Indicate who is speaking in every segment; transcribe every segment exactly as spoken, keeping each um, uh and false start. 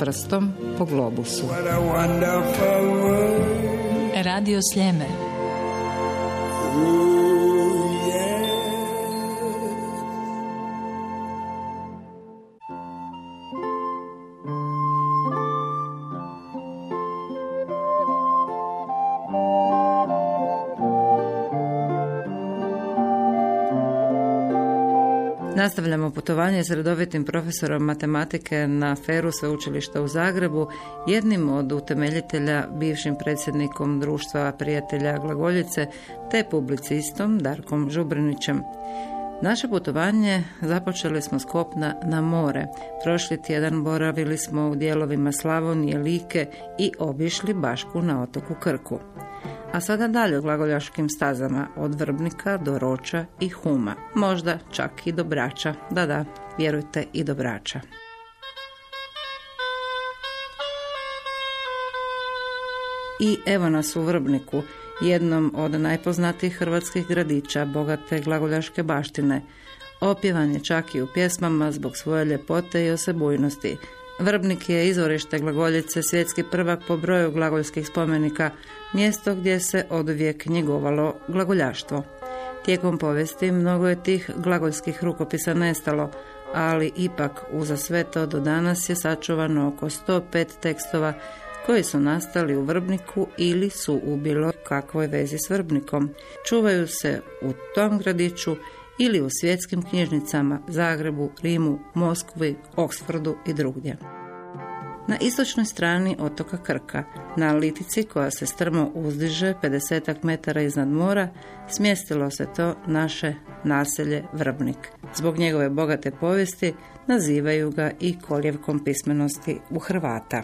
Speaker 1: prstom po globusu.
Speaker 2: Radio Sljeme.
Speaker 1: Nastavljamo putovanje s redovitim profesorom matematike na Feru Sveučilišta u Zagrebu, jednim od utemeljitelja, bivšim predsjednikom Društva prijatelja glagoljice, te publicistom Darkom Žubrinićem. Naše putovanje započeli smo s kopna na more. Prošli tjedan boravili smo u dijelovima Slavonije, Like i obišli Bašku na otoku Krku. A sada dalje glagoljaškim stazama od Vrbnika do Roča i Huma. Možda čak i do Brača. Da, da, vjerujte, i do Brača. I evo nas u Vrbniku, jednom od najpoznatijih hrvatskih gradića bogate glagoljaške baštine. Opjevan je čak i u pjesmama zbog svoje ljepote i osebujnosti. Vrbnik je izvorište glagoljice, svjetski prvak po broju glagoljskih spomenika, mjesto gdje se oduvijek njegovalo glagoljaštvo. Tijekom povijesti mnogo je tih glagoljskih rukopisa nestalo, ali ipak uza sve to do danas je sačuvano oko sto pet tekstova koji su nastali u Vrbniku ili su u bilo kakvoj vezi s Vrbnikom. Čuvaju se u tom gradiću ili u svjetskim knjižnicama Zagrebu, Rimu, Moskvi, Oksfordu i drugdje. Na istočnoj strani otoka Krka, na litici koja se strmo uzdiže pedesetak metara iznad mora, smjestilo se to naše naselje Vrbnik. Zbog njegove bogate povijesti nazivaju ga i kolijevkom pismenosti u Hrvata.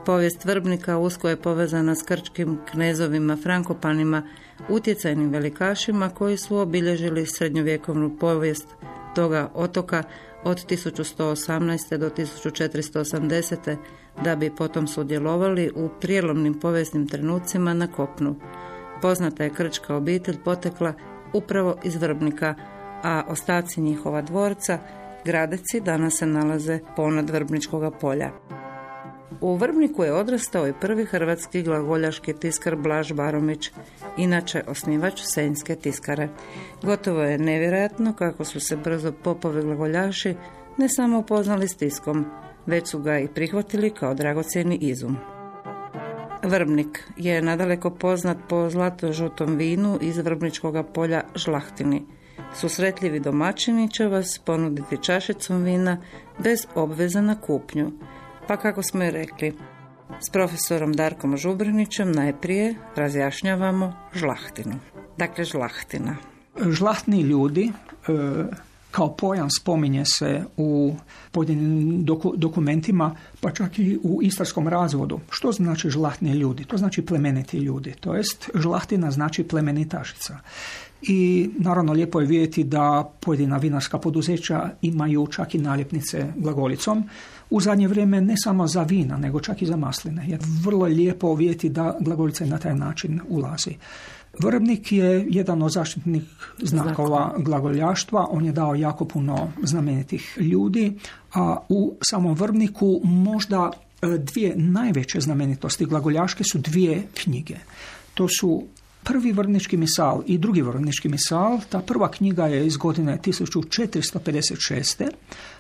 Speaker 1: Povijest Vrbnika usko je povezana s krčkim knezovima Frankopanima, utjecajnim velikašima koji su obilježili srednjovjekovnu povijest toga otoka od tisuću sto osamnaeste do tisuću četiristo osamdesete da bi potom sudjelovali u prijelomnim povijesnim trenucima na kopnu. Poznata je krčka obitelj potekla upravo iz Vrbnika, a ostaci njihova dvorca, Gradeci, danas se nalaze ponad Vrbničkoga polja. U Vrbniku je odrastao i prvi hrvatski glagoljaški tiskar Blaž Baromić, inače osnivač Senjske tiskare. Gotovo je nevjerojatno kako su se brzo popovi glagoljaši ne samo upoznali s tiskom, već su ga i prihvatili kao dragocjeni izum. Vrbnik je nadaleko poznat po zlato-žutom vinu iz Vrbničkoga polja Žlahtini. Susretljivi domaćini će vas ponuditi čašicom vina bez obveza na kupnju. Pa kako smo i rekli, s profesorom Darkom Žubrinićem najprije razjašnjavamo žlahtinu. Dakle, žlahtina.
Speaker 3: Žlahtni ljudi, kao pojam spominje se u pojedinim doku, dokumentima, pa čak i u istarskom razvodu. Što znači žlahtni ljudi? To znači plemeniti ljudi. To jest, žlahtina znači plemenitašica. I naravno lijepo je vidjeti da pojedina vinarska poduzeća imaju čak i naljepnice glagolicom. U zadnje vrijeme ne samo za vina, nego čak i za masline. Jer vrlo je lijepo vidjeti da glagoljica na taj način ulazi. Vrbnik je jedan od zaštitnih znakova glagoljaštva. On je dao jako puno znamenitih ljudi, a u samom Vrbniku možda dvije najveće znamenitosti glagoljaške su dvije knjige. To su prvi Vrbnički misal i drugi Vrbnički misal. Ta prva knjiga je iz godine tisuću četiristo pedeset šeste.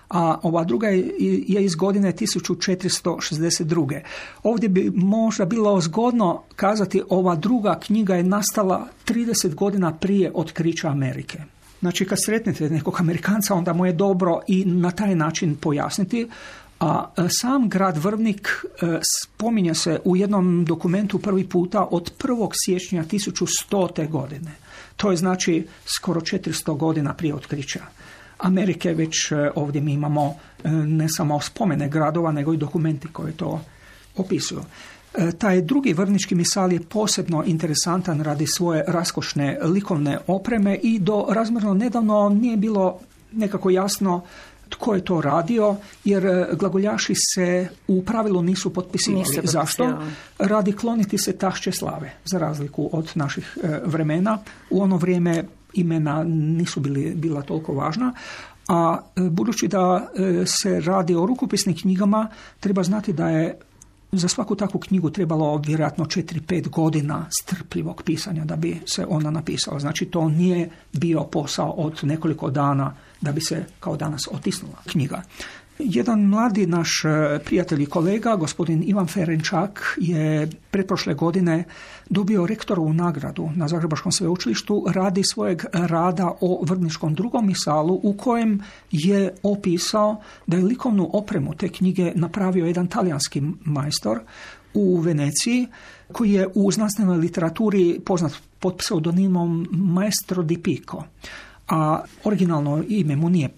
Speaker 3: a ova druga je, je iz godine tisuću četiristo šezdeset druge. Ovdje bi možda bilo zgodno kazati ova druga knjiga je nastala trideset godina prije otkrića Amerike. Znači kad sretnete nekog Amerikanca, onda mu je dobro i na taj način pojasniti. A sam grad Vrbnik spominje se u jednom dokumentu prvi puta od prvog siječnja tisuću stote godine. To je znači skoro četiristo godina prije otkrića Amerike. Već ovdje mi imamo ne samo spomene gradova, nego i dokumenti koji to opisuju. Taj drugi Vrbnički misal je posebno interesantan radi svoje raskošne likovne opreme i do razmjerno nedavno nije bilo nekako jasno tko je to radio, jer glagoljaši se u pravilu nisu potpisivali. Nisu Zašto? Radi kloniti se tašće slave, za razliku od naših vremena. U ono vrijeme imena nisu bili, bila toliko važna, A budući da se radi o rukopisnim knjigama, treba znati da je za svaku takvu knjigu trebalo vjerojatno četiri pet godina strpljivog pisanja da bi se ona napisala. Znači to nije bio posao od nekoliko dana da bi se kao danas otisnula knjiga. Jedan mladi naš prijatelj i kolega, gospodin Ivan Ferenčak, je pretprošle godine dobio rektorovu nagradu na Zagrebačkom sveučilištu radi svojeg rada o Vrbničkom drugom misalu, u kojem je opisao da je likovnu opremu te knjige napravio jedan talijanski majstor u Veneciji, koji je u znanstvenoj literaturi poznat pod pseudonimom Maestro di Pico. A originalno ime mu nije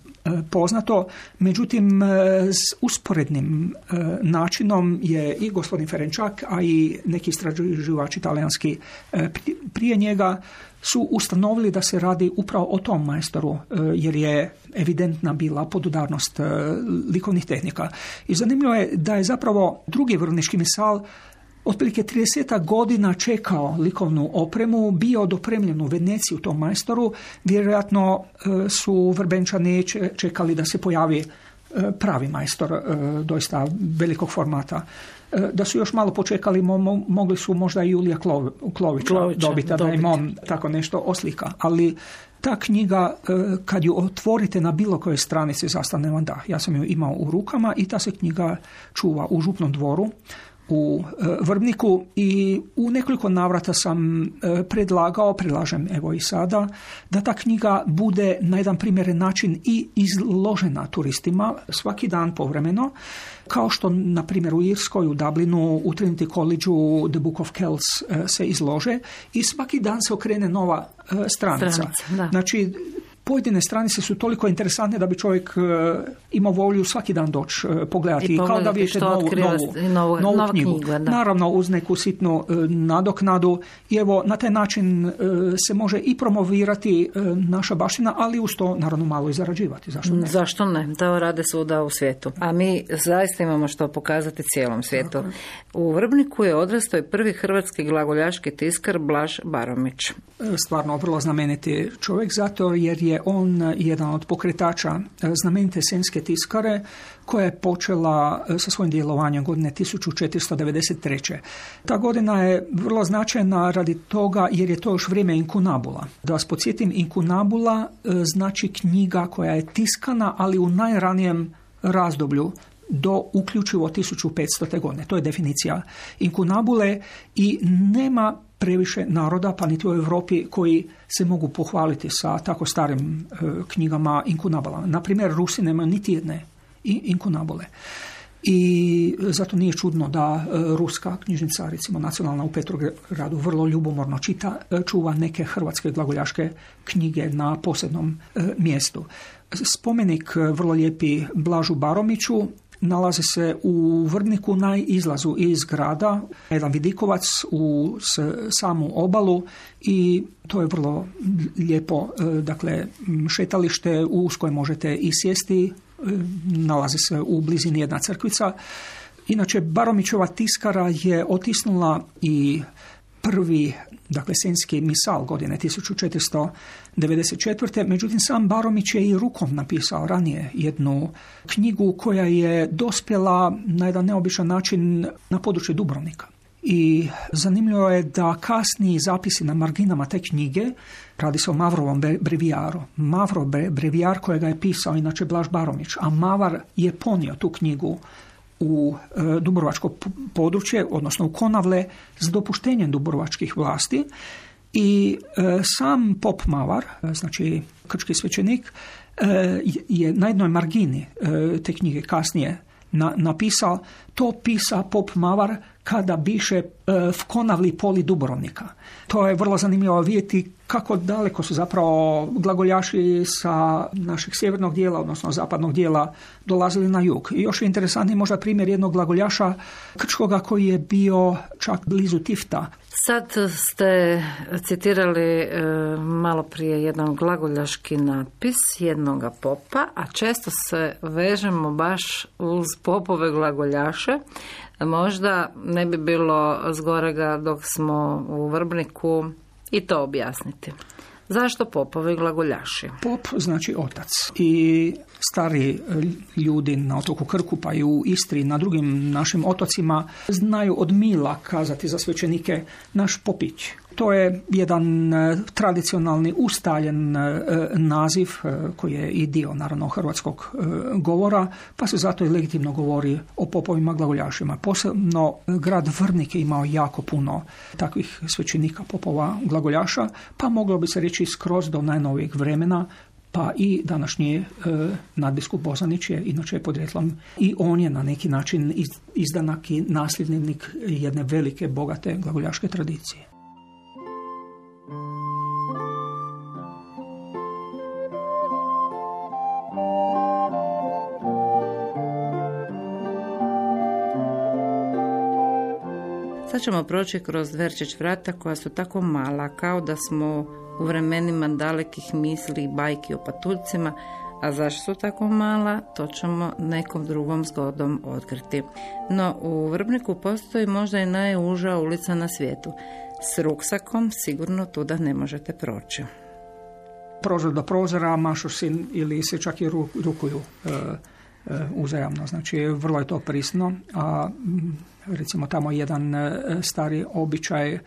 Speaker 3: poznato, međutim s usporednim načinom je i gospodin Ferenčak, a i neki istraživači talijanski prije njega su ustanovili da se radi upravo o tom majstoru, jer je evidentna bila podudarnost likovnih tehnika. I zanimljivo je da je zapravo drugi Vrbnički misal otprilike trideset godina čekao likovnu opremu, bio dopremljen u Veneciju tom majstoru. Vjerojatno su Vrbenčani čekali da se pojavi pravi majstor, doista velikog formata. Da su još malo počekali, mo- mogli su možda i Julija Klo- Klovića, Klovića dobiti, da im on tako nešto oslika. Ali ta knjiga, kad ju otvorite na bilo kojoj stranici, zastane vam dah. Ja sam ju imao u rukama i ta se knjiga čuva u Župnom dvoru u Vrbniku i u nekoliko navrata sam predlagao, predlažem evo i sada, da ta knjiga bude na jedan primjeren način i izložena turistima svaki dan povremeno, kao što na primjer u Irskoj, u Dublinu, u Trinity College-u The Book of Kells se izlože i svaki dan se okrene nova stranica. stranica znači, pojedine stranice su toliko interesantne da bi čovjek uh, imao volju svaki dan doći uh, pogledati, kao da vidite novu, novu, novu, novu knjigu. knjigu Naravno uz neku sitnu uh, nadoknadu i evo na taj način uh, se može i promovirati uh, naša baština, ali uz to naravno malo i zarađivati. Zašto ne?
Speaker 1: Zašto ne? To rade svuda u svijetu. A mi zaista imamo što pokazati cijelom svijetu. Tako. U Vrbniku je odrastao i prvi hrvatski glagoljaški tiskar Blaž Baromić.
Speaker 3: Stvarno vrlo znameniti čovjek, zato jer je on jedan od pokretača znamenite senjske tiskare koja je počela sa svojim djelovanjem godine tisuću četiristo devedeset treće. Ta godina je vrlo značajna radi toga jer je to još vrijeme inkunabula. Da vas podsjetim, inkunabula znači knjiga koja je tiskana, ali u najranijem razdoblju do uključivo tisuću petstote godine. To je definicija inkunabule i nema previše naroda, pa niti u Europi, koji se mogu pohvaliti sa tako starim e, knjigama inkunabulama. Na primjer, Rusi nemaju niti jedne inkunabule. I zato nije čudno da e, ruska knjižnica, recimo nacionalna u Petrogradu, vrlo ljubomorno čita, e, čuva neke hrvatske glagoljaške knjige na posebnom e, mjestu. Spomenik e, vrlo lijepi Blažu Baromiću nalazi se u Vrbniku na izlazu iz grada, jedan vidikovac u samu obalu i to je vrlo lijepo, dakle, šetalište uz koje možete i sjesti, nalazi se u blizini jedna crkvica. Inače, Baromićeva tiskara je otisnula i prvi, dakle, senjski misal godine tisuću četiristo devedeset četvrte. Međutim, sam Baromić je i rukom napisao ranije jednu knjigu koja je dospjela na jedan neobičan način na područje Dubrovnika. I zanimljivo je da kasniji zapisi na marginama te knjige, radi se o Mavrovom brevijaru. Mavrov brevijar kojega je pisao inače Blaž Baromić, a Mavar je ponio tu knjigu u e, dubrovačko područje, odnosno u Konavle, s dopuštenjem dubrovačkih vlasti i e, sam pop Mavar, znači krčki svećenik, e, je na jednoj margini e, te knjige kasnije na, napisao: to pisa pop Mavar kada biše e, v Konavli poli Dubrovnika. To je vrlo zanimljivo vidjeti kako daleko su zapravo glagoljaši sa našeg sjevernog dijela, odnosno zapadnog dijela, dolazili na jug. I još je interesantni možda primjer jednog glagoljaša krčkoga koji je bio čak blizu Tifta.
Speaker 1: Sad ste citirali e, malo prije jedan glagoljaški napis jednoga popa, a često se vežemo baš uz popove glagoljaše. Možda ne bi bilo zgorega dok smo u Vrbniku i to objasniti. Zašto popovi glagoljaši?
Speaker 3: Pop znači otac. I stari ljudi na otoku Krku, pa i u Istri, na drugim našim otocima, znaju od mila kazati za svećenike naš popić. To je jedan tradicionalni ustaljen naziv koji je i dio naravno hrvatskog govora, pa se zato i legitimno govori o popovima glagoljašima. Posebno grad Vrnik je imao jako puno takvih svećenika popova glagoljaša, pa moglo bi se reći skroz do najnovijeg vremena, pa i današnji e, nadbiskup Bozanić je inače podrijetlom i on je na neki način izdanak i nasljednik jedne velike, bogate glagoljaške tradicije.
Speaker 1: Sad ćemo proći kroz Dverčić vrata koja su tako mala, kao da smo u vremenima dalekih misli i bajki o patuljcima, a zašto su tako mala, to ćemo nekom drugom zgodom otkriti. No, u Vrbniku postoji možda i najuža ulica na svijetu. S ruksakom sigurno tuda ne možete proći.
Speaker 3: Prozor do prozora, mašu si ili se čak i rukuju e, e, uzajamno. Znači, vrlo je to prisno, a recimo tamo jedan stari običaj,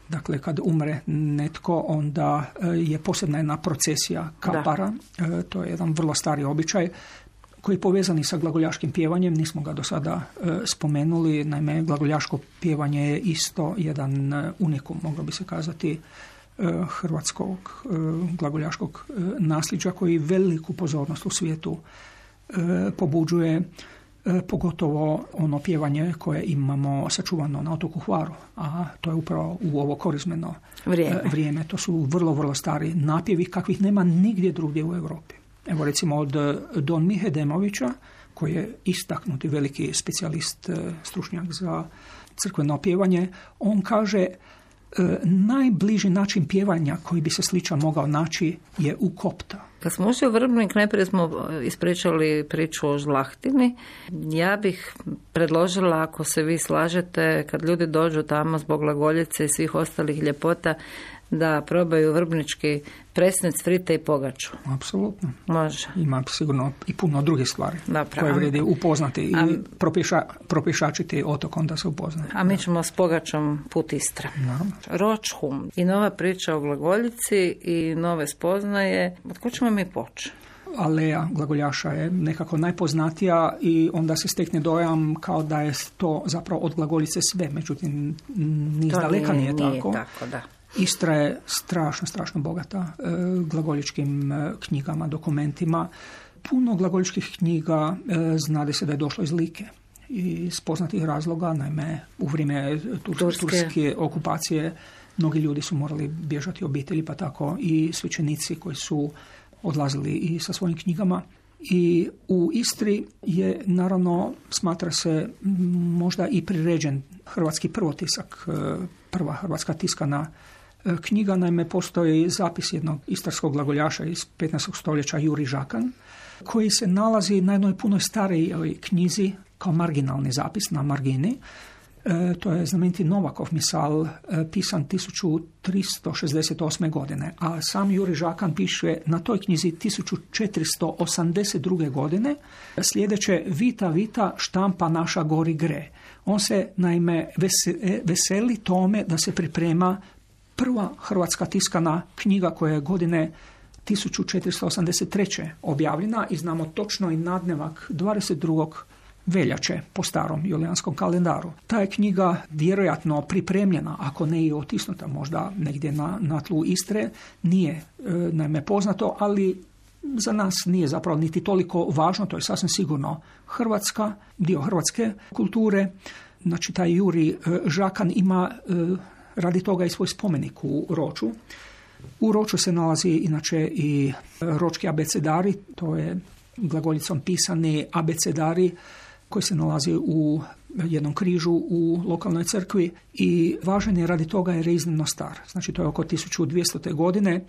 Speaker 3: dakle kad umre netko, onda je posebna jedna procesija kapara. Da. To je jedan vrlo stari običaj koji je povezan i sa glagoljaškim pjevanjem. Nismo ga do sada spomenuli. Naime, glagoljaško pjevanje je isto jedan unikum, moglo bi se kazati, hrvatskog glagoljaškog nasljeđa koji veliku pozornost u svijetu pobuđuje, pogotovo ono pjevanje koje imamo sačuvano na otoku Hvaru, a to je upravo u ovo korizmeno vrijeme. vrijeme. To su vrlo, vrlo stari napjevi kakvih nema nigdje drugdje u Europi. Evo recimo od Don Mihe Demovića, koji je istaknuti veliki specijalist, stručnjak za crkveno pjevanje, on kaže najbliži način pjevanja koji bi se sličan mogao naći je u kopta.
Speaker 1: Kad smo ušli u Vrbnik, najprije smo ispričali priču o žlahtini. Ja bih predložila, ako se vi slažete, kad ljudi dođu tamo zbog glagoljice i svih ostalih ljepota, da probaju vrbnički presnec, frite i pogaču.
Speaker 3: Apsolutno.
Speaker 1: Može.
Speaker 3: Ima sigurno i puno drugih stvari
Speaker 1: da,
Speaker 3: koje vredi upoznati i a, propiša, propišačiti otok, onda se upoznaje.
Speaker 1: A mi ćemo s pogačom put Istra.
Speaker 3: Naravno.
Speaker 1: Ročhum i nova priča o glagoljici i nove spoznaje. Od ko ćemo mi poći?
Speaker 3: Aleja glagoljaša je nekako najpoznatija i onda se stekne dojam kao da je to zapravo od glagoljice sve. Međutim, ni izdaleka nije, nije tako.
Speaker 1: Nije tako, da.
Speaker 3: Istra je strašno, strašno bogata e, glagoljičkim e, knjigama, dokumentima. Puno glagoljičkih knjiga e, znade se da je došlo iz Like i iz poznatih razloga, naime u vrijeme tur- turske. turske okupacije mnogi ljudi su morali bježati obitelji, pa tako i svećenici koji su odlazili i sa svojim knjigama. I u Istri je, naravno, smatra se možda i priređen hrvatski prvotisak, prva hrvatska tiskana knjiga. Naime, postoji zapis jednog istarskog glagoljaša iz petnaestog stoljeća, Juri Žakan, koji se nalazi na jednoj punoj starijoj knjizi kao marginalni zapis na margini. E, to je znameniti Novakov misal, e, pisan tisuću tristo šezdeset osme. godine, a sam Juri Žakan piše na toj knjizi tisuću četiristo osamdeset druge. godine sljedeće: Vita, vita, štampa naša gori gre. On se naime veseli tome da se priprema prva hrvatska tiskana knjiga koja je godine tisuću četiristo osamdeset treće. objavljena i znamo točno i nadnevak dvadeset drugog veljače po starom julijanskom kalendaru. Ta je knjiga vjerojatno pripremljena, ako ne i otisnuta možda negdje na, na tlu Istre, nije e, naime poznato, ali za nas nije zapravo niti toliko važno, to je sasvim sigurno hrvatska, dio hrvatske kulture. Znači taj Juri e, Žakan ima e, radi toga i svoj spomenik u Roču. U Roču se nalazi inače i ročki abecedari, to je glagoljicom pisani abecedari koji se nalazi u jednom križu u lokalnoj crkvi i važan je radi toga jer je iznimno star. Znači to je oko tisuću dvjestote. godine.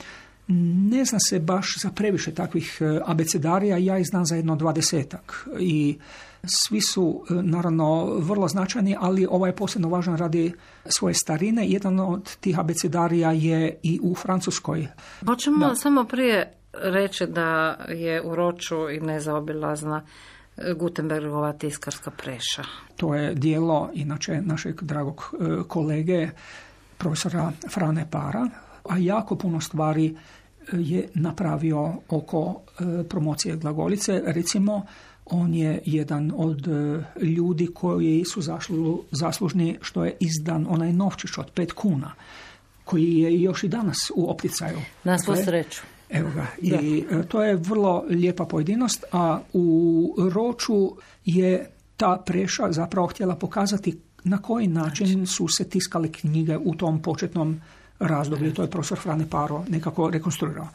Speaker 3: Ne zna se baš za previše takvih abecedarija, ja ih znam za jedno dvadesetak i svi su naravno vrlo značajni, ali ovaj je posebno važan radi svoje starine. Jedan od tih abecedarija je i u Francuskoj.
Speaker 1: Hoćemo
Speaker 3: da.
Speaker 1: samo prije reći da je u Roču i nezaobilazna Gutenbergova tiskarska preša.
Speaker 3: To je dijelo inače našeg dragog kolege profesora Frane Para, a jako puno stvari je napravio oko promocije glagoljice. Recimo, on je jedan od ljudi koji su zašlu, zaslužni što je izdan onaj novčić od pet kuna, koji je još i danas u opticaju.
Speaker 1: Na svu sreću.
Speaker 3: Evo ga. I da. To je vrlo lijepa pojedinost, a u Roču je ta preša zapravo htjela pokazati na koji način su se tiskale knjige u tom početnom razdoblju. To je profesor Frane Paro nekako rekonstruirao.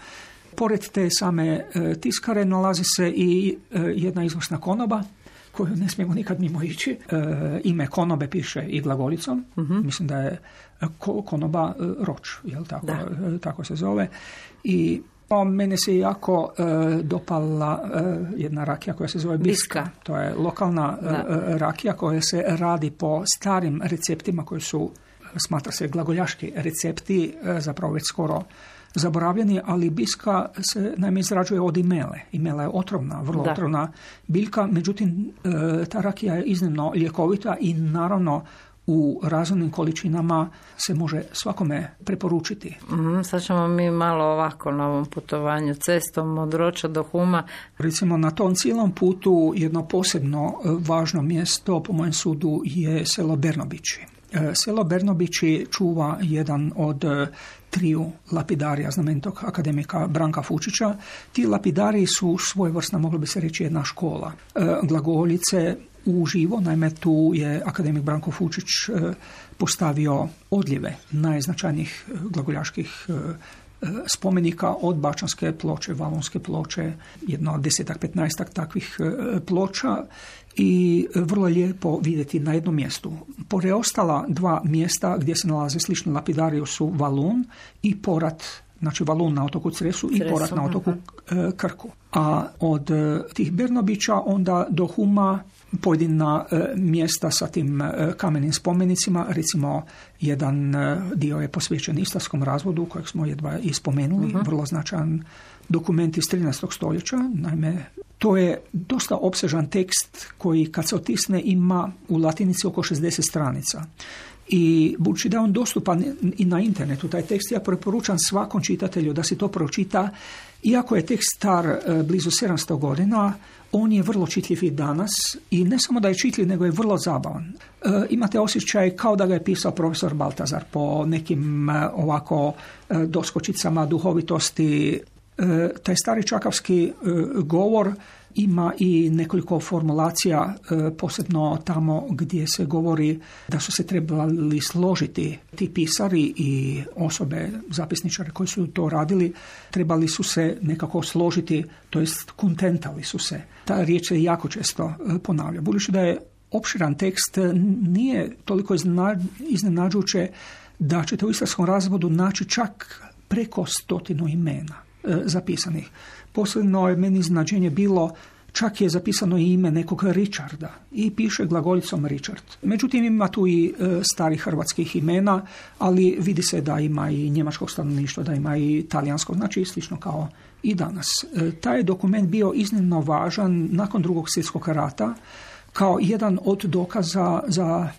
Speaker 3: Pored te same e, tiskare nalazi se i e, jedna izvrsna konoba koju ne smijemo nikad mimo ići. E, ime konobe piše i glagolicom. Uh-huh. Mislim da je ko, konoba e, Roč, jel tako, e, tako se zove. I o, mene se jako e, dopala e, jedna rakija koja se zove Biska. Biska. To je lokalna e, rakija koja se radi po starim receptima koji su, smatra se, glagoljaški recepti, e, zapravo već skoro zaboravljeni, ali biska se naime izrađuje od imele. Imela je otrovna, vrlo da. otrovna biljka, međutim e, ta rakija je iznimno ljekovita i naravno u razumnim količinama se može svakome preporučiti.
Speaker 1: Mm, sad ćemo mi malo ovako na ovom putovanju cestom od Roča do Huma.
Speaker 3: Recimo na tom cijelom putu jedno posebno važno mjesto po mojem sudu je selo Bernobići. Selo Bernobići čuva jedan od triju lapidarija znamenitog akademika Branka Fučića. Ti lapidariji su svojevrsna, moglo bi se reći, jedna škola glagoljice uživo. Naime, tu je akademik Branko Fučić postavio odljeve najznačajnijih glagoljaških spomenika od Bačanske ploče, Valonske ploče, jedno desetak, petnaestak takvih ploča i vrlo lijepo vidjeti na jednom mjestu. Preostala dva mjesta gdje se nalaze slični lapidariji su Valun i Porat, znači Valun na otoku Cresu, Cresu i Porat na otoku uh-huh. Krku. A od tih Bernobića onda do Huma pojedina uh, mjesta sa tim uh, kamenim spomenicima, recimo jedan uh, dio je posvećen Istarskom razvodu kojeg smo jedva i spomenuli, uh-huh. vrlo značajan dokument iz trinaestog stoljeća. Naime, to je dosta opsežan tekst koji kad se otisne ima u latinici oko šezdeset stranica. I budući da je on dostupan i na internetu, taj tekst, ja preporučam svakom čitatelju da si to pročita. Iako je tekst star blizu sedamsto godina, on je vrlo čitljiv i danas i ne samo da je čitljiv, nego je vrlo zabavan. E, imate osjećaj kao da ga je pisao profesor Baltazar po nekim e, ovako e, doskočicama duhovitosti. E, taj stari čakavski e, govor ima i nekoliko formulacija, e, posebno tamo gdje se govori da su se trebali složiti ti pisari i osobe, zapisničare koji su to radili, trebali su se nekako složiti, to jest kontentali su se. Ta riječ se jako često ponavlja. Budući da je opširan tekst, nije toliko iznenađujuće da ćete u Istarskom razvodu naći čak preko stotinu imena zapisanih. Posebno je meni iznenađenje bilo, čak je zapisano i ime nekog Richarda i piše glagoljicom Richard. Međutim, ima tu i e, starih hrvatskih imena, ali vidi se da ima i njemačkog stanovništva, da ima i talijanskog, znači slično kao i danas. E, taj je dokument bio iznimno važan nakon Drugog svjetskog rata kao jedan od dokaza za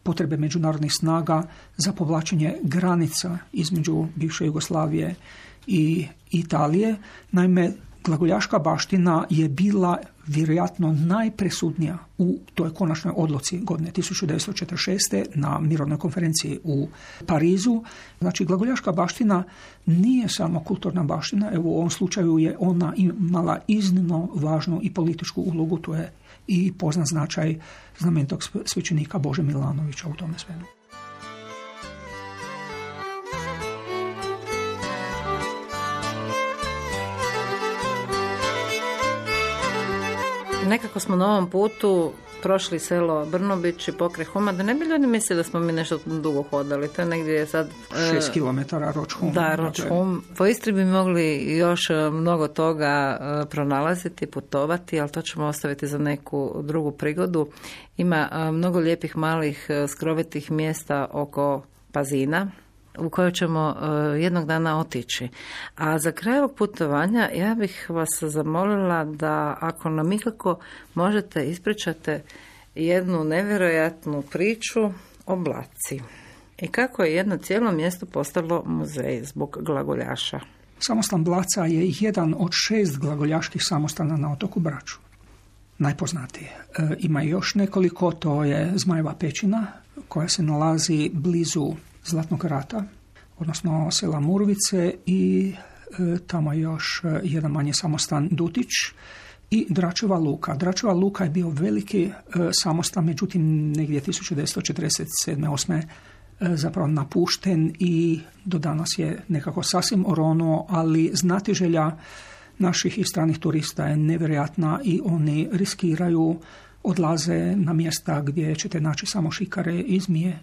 Speaker 3: potrebe međunarodnih snaga za povlačenje granica između bivše Jugoslavije i Italije. Naime, glagoljaška baština je bila vjerojatno najpresudnija u toj konačnoj odluci godine tisuću devetsto četrdeset šeste na mirovnoj konferenciji u Parizu. Znači, glagoljaška baština nije samo kulturna baština, evo u ovom slučaju je ona imala iznimno važnu i političku ulogu, to je i poznat značaj znamenitog svećenika Bože Milanovića u tome svemu.
Speaker 1: nekako smo na ovom putu prošli selo Brnobić i pokraj Huma, da ne bi ljudi mislili da smo mi nešto dugo hodali. To je negdje sad...
Speaker 3: Šest kilometara Roč-Hum.
Speaker 1: Da, Roč-Hum. Po Istri bi mogli još mnogo toga pronalaziti, putovati, ali to ćemo ostaviti za neku drugu prigodu. Ima mnogo lijepih malih skrovitih mjesta oko Pazina, u kojoj ćemo uh, jednog dana otići. A za kraj ovog putovanja ja bih vas zamolila da ako nam ikako možete ispričate jednu nevjerojatnu priču o Blaci. I kako je jedno cijelo mjesto postalo muzej zbog glagoljaša.
Speaker 3: Samostan Blaca je jedan od šest glagoljaških samostana na otoku Braču. Najpoznatiji. E, ima još nekoliko, to je Zmajeva pećina koja se nalazi blizu Zlatnog rata, odnosno sela Murvice i e, tamo još jedan manji samostan Dutić i Dračeva luka. Dračeva luka je bio veliki e, samostan, međutim negdje tisuću devetsto četrdeset sedme osme E, zapravo napušten i do danas je nekako sasvim oronuo, ali znatiželja naših i stranih turista je nevjerojatna i oni riskiraju, odlaze na mjesta gdje ćete naći samo šikare i zmije, e,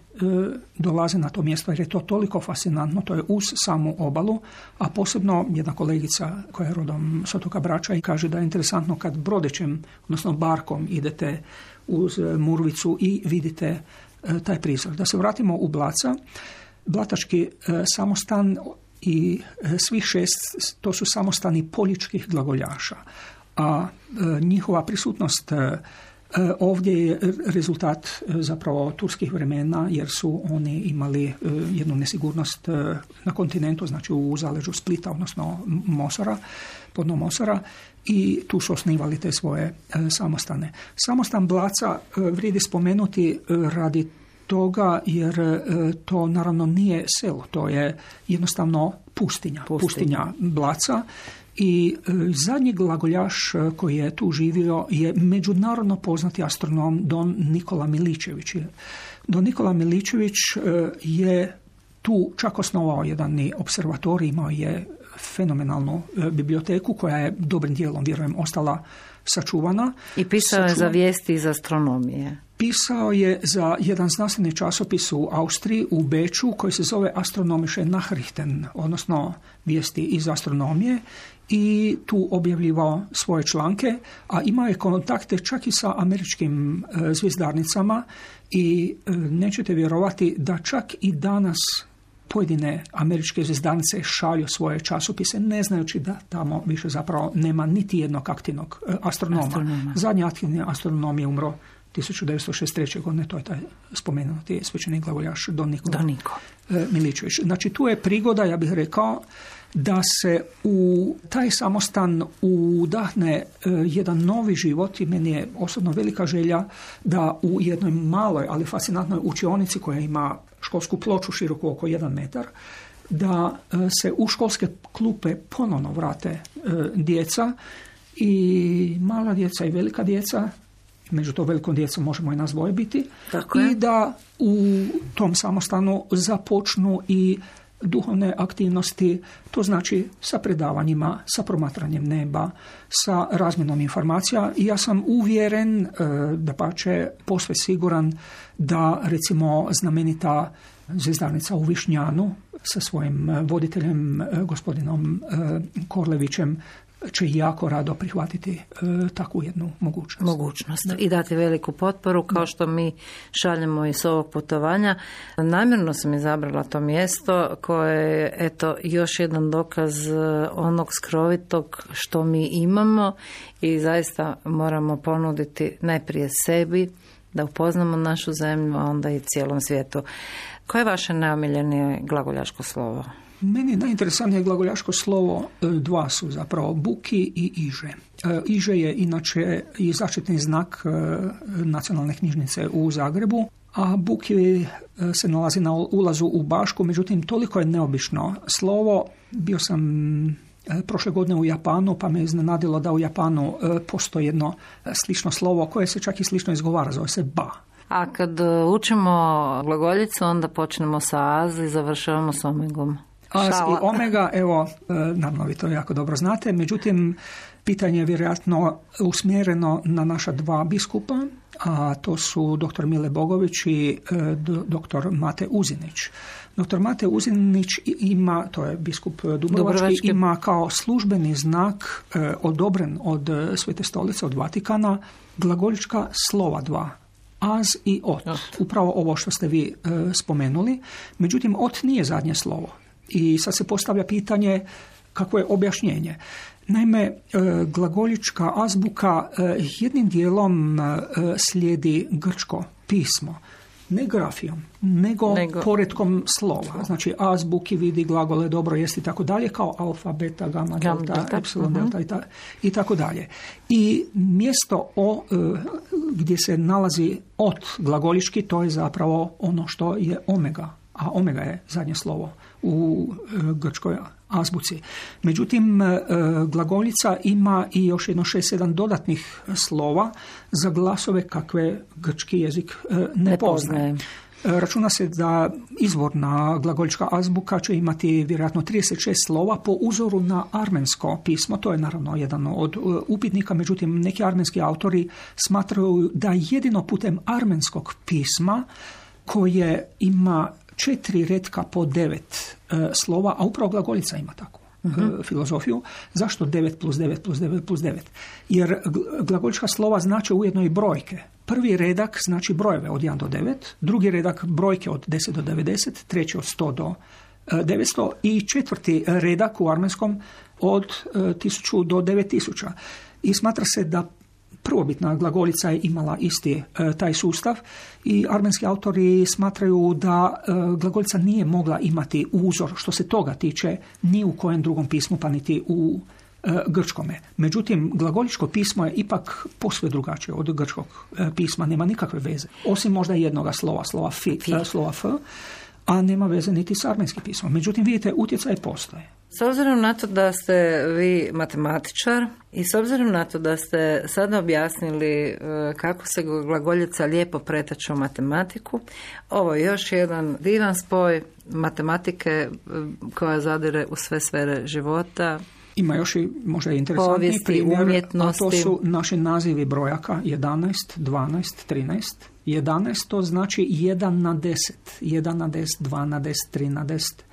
Speaker 3: dolaze na to mjesto jer je to toliko fascinantno, to je uz samu obalu, a posebno jedna kolegica koja je rodom s otoka Brača i kaže da je interesantno kad brodećem, odnosno barkom idete uz Murvicu i vidite e, taj prizor. Da se vratimo u Blaca, Blatački e, samostan i e, svih šest, to su samostani poljičkih glagoljaša, a e, njihova prisutnost e, ovdje je rezultat zapravo turskih vremena jer su oni imali jednu nesigurnost na kontinentu, znači u zaleđu Splita, odnosno Mosora, podno Mosora i tu su osnivali te svoje samostane. Samostan Blaca vrijedi spomenuti radi toga jer to naravno nije selo, to je jednostavno pustinja, pustinja, pustinja Blaca. I e, zadnji glagoljaš koji je tu živio je međunarodno poznati astronom Don Nikola Miličević. Don Nikola Miličević e, je tu čak osnovao jedan observatorij, imao je fenomenalnu e, biblioteku koja je dobrim dijelom, vjerujem, ostala sačuvana.
Speaker 1: I pisao je za vijesti iz astronomije.
Speaker 3: Pisao je za jedan znanstveni časopis u Austriji, u Beču, koji se zove Astronomische Nachrichten, odnosno vijesti iz astronomije, i tu objavljivao svoje članke, a imao je kontakte čak i sa američkim e, zvjezdarnicama i e, nećete vjerovati da čak i danas pojedine američke zvjezdarnice šalju svoje časopise, ne znajući da tamo više zapravo nema niti jednog aktivnog e, astronoma. Astronoma. Zadnji aktivni astronom je umro tisuću devetsto šezdeset treće. godine, to je taj spomenuti svećenik glagoljaš Don Nikola
Speaker 1: Don Niko.
Speaker 3: Miličević. Znači tu je prigoda, ja bih rekao, da se u taj samostan udahne e, jedan novi život i meni je osobno velika želja da u jednoj maloj, ali fascinantnoj učionici koja ima školsku ploču široku oko jedan metar, da e, se u školske klupe ponovno vrate e, djeca i mala djeca i velika djeca, među to velikom djecom možemo i nas dvoje biti, i da u tom samostanu započnu i duhovne aktivnosti, to znači sa predavanjima, sa promatranjem neba, sa razmjenom informacija. I ja sam uvjeren, da pa će posve siguran da recimo znamenita zvjezdarnica u Višnjanu sa svojim voditeljem gospodinom Korlevićem će jako rado prihvatiti e, takvu jednu mogućnost.
Speaker 1: Mogućnost da. I dati veliku potporu kao što mi šaljemo iz ovog putovanja. Namjerno sam izabrala to mjesto koje je eto još jedan dokaz onog skrovitog što mi imamo i zaista moramo ponuditi najprije sebi da upoznamo našu zemlju, a onda i cijelom svijetu. Koje je vaše najomiljenije glagoljaško slovo?
Speaker 3: Meni najinteresantnije glagoljaško slovo dva su zapravo buki i iže. Iže je inače i zaštitni znak nacionalne knjižnice u Zagrebu, a buki se nalazi na ulazu u Bašku, međutim toliko je neobično slovo. Bio sam prošle godine u Japanu, pa me iznenadilo da u Japanu postoji jedno slično slovo koje se čak i slično izgovara, zove se ba.
Speaker 1: A kad učimo glagoljicu, onda počnemo sa az i završavamo s omegom.
Speaker 3: Az i omega, evo, naravno vi to jako dobro znate, međutim, Pitanje je vjerojatno usmjereno na naša dva biskupa, a to su doktor Mile Bogović i e, doktor Mate Uzinić. Doktor Mate Uzinić ima, to je biskup Dubrovački, Dubrovački. ima kao službeni znak e, odobren od Svete stolice, od Vatikana, glagoljička slova dva. Az i ot. ot. Upravo ovo što ste vi e, spomenuli. Međutim, ot nije zadnje slovo. I sad se postavlja pitanje kako je objašnjenje. Naime, e, glagoljička azbuka e, jednim dijelom e, slijedi grčko pismo. Ne grafijom, nego, nego poretkom slova. Znači, azbuki vidi glagole dobro jest i tako dalje, kao alfa, beta, gamma, delta, delta. epsilon, uh-huh. delta i, ta, i tako dalje. I mjesto o, gdje se nalazi ot glagoljički, to je zapravo ono što je omega, a omega je zadnje slovo u grčkoj azbuci. Međutim, glagoljica ima i još jedno šest sedam dodatnih slova za glasove kakve grčki jezik ne poznaje. Računa se da izvorna glagoljička azbuka će imati vjerojatno trideset šest slova po uzoru na armensko pismo. To je naravno jedan od upitnika, međutim neki armenski autori smatraju da jedino putem armenskog pisma koje ima četiri retka po devet e, slova, a upravo glagoljica ima takvu uh-huh. e, filozofiju. Zašto devet plus devet plus devet plus devet? Jer glagoljička slova znače ujedno i brojke. Prvi redak znači brojeve od jedan do devet, drugi redak brojke od deset do devedeset, treći od sto do devetsto i četvrti redak u armenskom od e, tisuću do devet tisuća. I smatra se da prvobitna glagoljica je imala isti e, taj sustav i armenski autori smatraju da e, glagoljica nije mogla imati uzor što se toga tiče ni u kojem drugom pismu pa niti u e, grčkome. Međutim, glagoljičko pismo je ipak posve drugačije od grčkog e, pisma, nema nikakve veze. Osim možda jednoga slova, slova fi, e, slova f, a nema veze niti s armenskim pismom. Međutim, vidite, utjecaj postoje.
Speaker 1: S obzirom na to da ste vi matematičar i s obzirom na to da ste sada objasnili kako se glagoljica lijepo pretače u matematiku, ovo je još jedan divan spoj matematike koja zadire u sve sfere života.
Speaker 3: Ima još i možda interesantni primjer, a to su naši nazivi brojaka jedanaest, dvanaest, trinaest. jedanaest to znači jedan na deset, jedan na deset, dva na deset, tri na deset.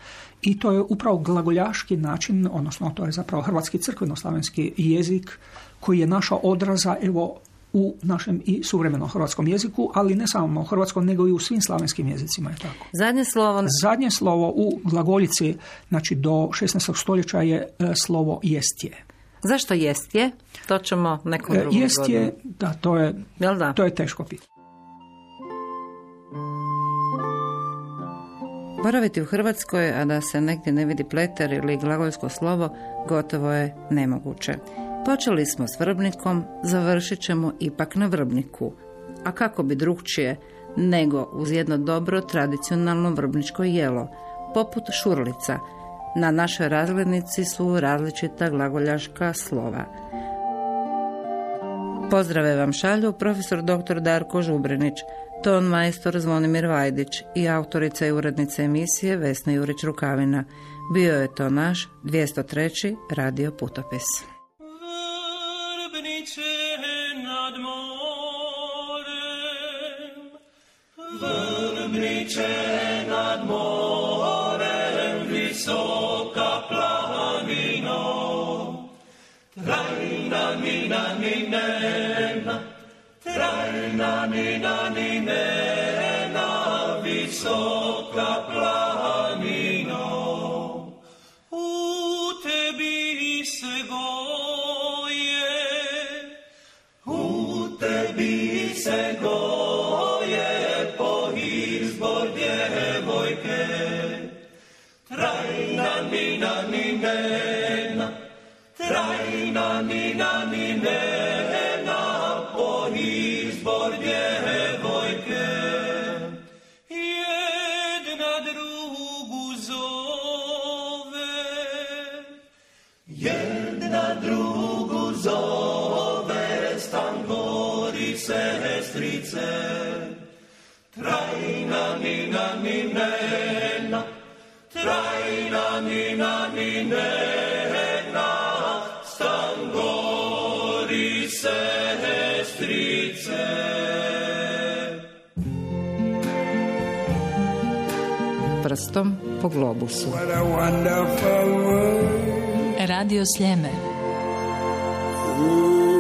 Speaker 3: I to je upravo glagoljaški način, odnosno to je zapravo hrvatski crkveno-slavenski jezik koji je našao odraza evo u našem i suvremenom hrvatskom jeziku, ali ne samo u hrvatskom, nego i u svim slavenskim jezicima je tako.
Speaker 1: Zadnje slovo...
Speaker 3: Zadnje slovo u glagoljici, znači do šesnaestog stoljeća je slovo jestje.
Speaker 1: Zašto jestje? To ćemo nekom drugom
Speaker 3: Jestje, godinu. Da, to je,
Speaker 1: da?
Speaker 3: to je teško pitanje.
Speaker 1: Boraviti u Hrvatskoj, a da se negdje ne vidi pleter ili glagoljsko slovo, gotovo je nemoguće. Počeli smo s Vrbnikom, završit ćemo ipak na Vrbniku. A kako bi drugčije nego uz jedno dobro tradicionalno vrbničko jelo, poput šurlica. Na našoj razglednici su različita glagoljaška slova. Pozdrave vam šalju profesor doktor Darko Žubrinić, ton majstor Zvonimir Vajdić i autorica i urednica emisije Vesna Jurić-Rukavina. Bio je to naš dvjesto treći radio putopis.
Speaker 4: Vrbniče nad morem, Vrbniče nad morem, visoka planino, trajna mina ninena, trajna mina ninena, visoka planino, u tebi se goje, u tebi se goje, po izbor djevojke, trajna mina ninena, trajna mina ninena, po izbor djevojke, jedna drugu zove, jedna drugu zove, stan gori sestrice, trajna mina ninena, trajna mina ninena, stan gori sestrice.
Speaker 1: Prstom po globusu.
Speaker 4: What a wonderful world.
Speaker 2: Radio Sljeme.
Speaker 4: Ooh.